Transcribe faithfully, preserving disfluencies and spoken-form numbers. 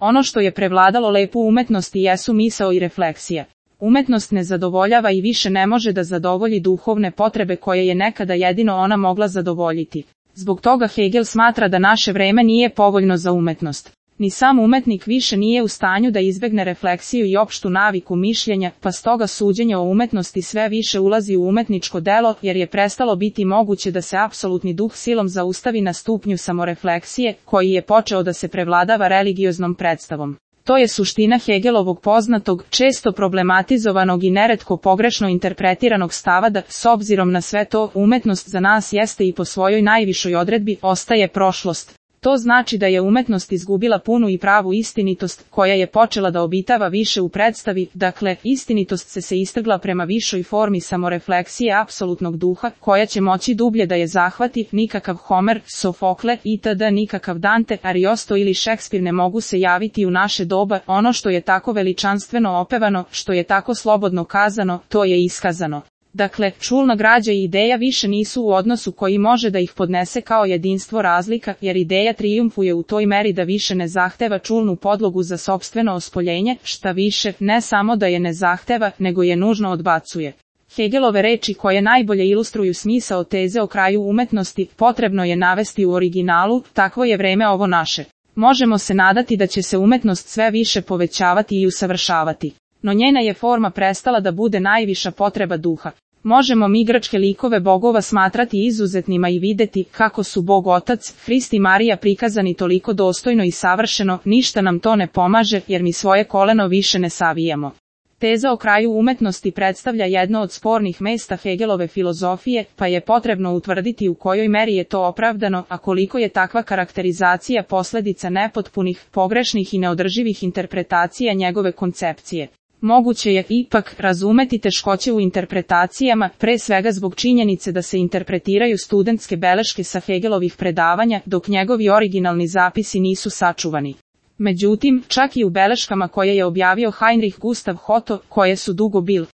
Ono što je prevladalo lepu umetnosti jesu misao i refleksija. Umetnost ne zadovoljava i više ne može da zadovolji duhovne potrebe koje je nekada jedino ona mogla zadovoljiti. Zbog toga Hegel smatra da naše vreme nije povoljno za umetnost. Ni sam umetnik više nije u stanju da izbegne refleksiju i opštu naviku mišljenja, pa stoga suđenje o umetnosti sve više ulazi u umetničko delo, jer je prestalo biti moguće da se apsolutni duh silom zaustavi na stupnju samorefleksije, koji je počeo da se prevladava religioznom predstavom. To je suština Hegelovog poznatog, često problematizovanog i neretko pogrešno interpretiranog stava da, s obzirom na sve to, umetnost za nas jeste i po svojoj najvišoj odredbi, ostaje prošlost. To znači da je umetnost izgubila punu i pravu istinitost, koja je počela da obitava više u predstavi, dakle, istinitost se se istrgla prema višoj formi samorefleksije apsolutnog duha, koja će moći dublje da je zahvati, nikakav Homer, Sofokle, itd., nikakav Dante, Ariosto ili Šekspir ne mogu se javiti u naše doba, ono što je tako veličanstveno opevano, što je tako slobodno kazano, to je iskazano. Dakle, čulna građa i ideja više nisu u odnosu koji može da ih podnese kao jedinstvo razlika, jer ideja trijumfuje u toj meri da više ne zahteva čulnu podlogu za sopstveno ospoljenje, šta više, ne samo da je ne zahteva, nego je nužno odbacuje. Hegelove reči koje najbolje ilustruju smisao teze o kraju umetnosti, potrebno je navesti u originalu, takvo je vreme ovo naše. Možemo se nadati da će se umetnost sve više povećavati i usavršavati. No njena je forma prestala da bude najviša potreba duha. Možemo mi grčke likove bogova smatrati izuzetnima i videti kako su Bog Otac, Hrist i Marija prikazani toliko dostojno i savršeno, ništa nam to ne pomaže jer mi svoje koleno više ne savijamo. Teza o kraju umetnosti predstavlja jedno od spornih mesta Hegelove filozofije, pa je potrebno utvrditi u kojoj meri je to opravdano, a koliko je takva karakterizacija posljedica nepotpunih, pogrešnih i neodrživih interpretacija njegove koncepcije. Moguće je ipak razumeti teškoće u interpretacijama, pre svega zbog činjenice da se interpretiraju studentske beleške sa Hegelovih predavanja, dok njegovi originalni zapisi nisu sačuvani. Međutim, čak i u beleškama koje je objavio Heinrich Gustav Otto, koje su dugo bile